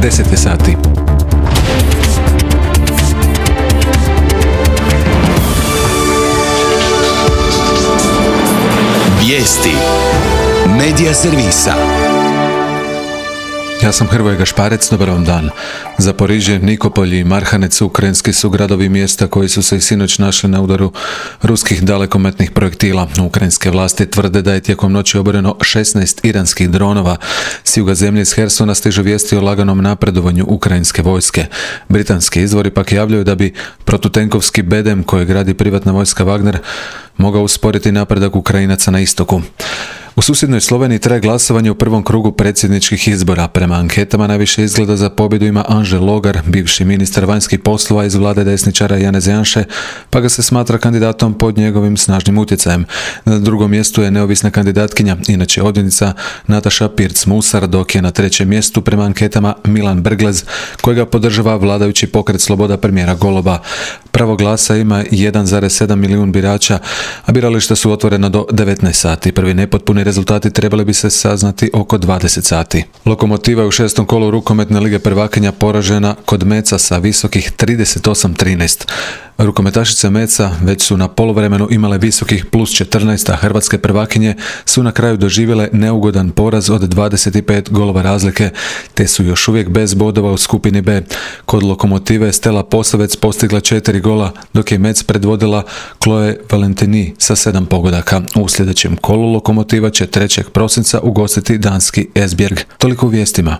10 je sati. Vijesti Medija servisa. Ja sam Hrvoje Gašparec, dobar vam dan. Zaporižje, Nikopolj i Marhanec ukrajinski su gradovi mjesta koji su se i sinoć našli na udaru ruskih dalekometnih projektila. Ukrajinske vlasti tvrde da je tijekom noći oboreno 16 iranskih dronova. S juga zemlje iz Hersona stižu vijesti o laganom napredovanju ukrajinske vojske. Britanski izvori pak javljaju da bi protutenkovski bedem koji gradi privatna vojska Wagner mogao usporiti napredak Ukrajinaca na istoku. U susjednoj Sloveniji traje glasovanje u prvom krugu predsjedničkih izbora. Prema anketama najviše izgleda za pobjedu ima Anže Logar, bivši ministar vanjskih poslova iz vlade desničara Janeza Janše, pa ga se smatra kandidatom pod njegovim snažnim utjecajem. Na drugom mjestu je neovisna kandidatkinja, inače odvjetnica Nataša Pirc-Musar, dok je na trećem mjestu prema anketama Milan Brglez, kojega podržava vladajući pokret Sloboda premijera Goloba. Pravo glasa ima 1,7 milijun birača, a birališta su otvorena do 19 sati. Prvi nepotpuni rezultati trebali bi se saznati oko 20 sati. Lokomotiva je u 6. kolu rukometne lige prvakinja poražena kod Meca sa visokih 38-13. Rukometašice Meca već su na poluvremenu imale visokih plus 14, a hrvatske prvakinje su na kraju doživjele neugodan poraz od 25 golova razlike, te su još uvijek bez bodova u skupini B. Kod Lokomotive Stella Posavec postigla 4 gola, dok je Mec predvodila Chloe Valentini sa 7 pogodaka. U sljedećem kolu Lokomotiva će 3. prosinca ugostiti danski Esbjerg. Toliko u vijestima.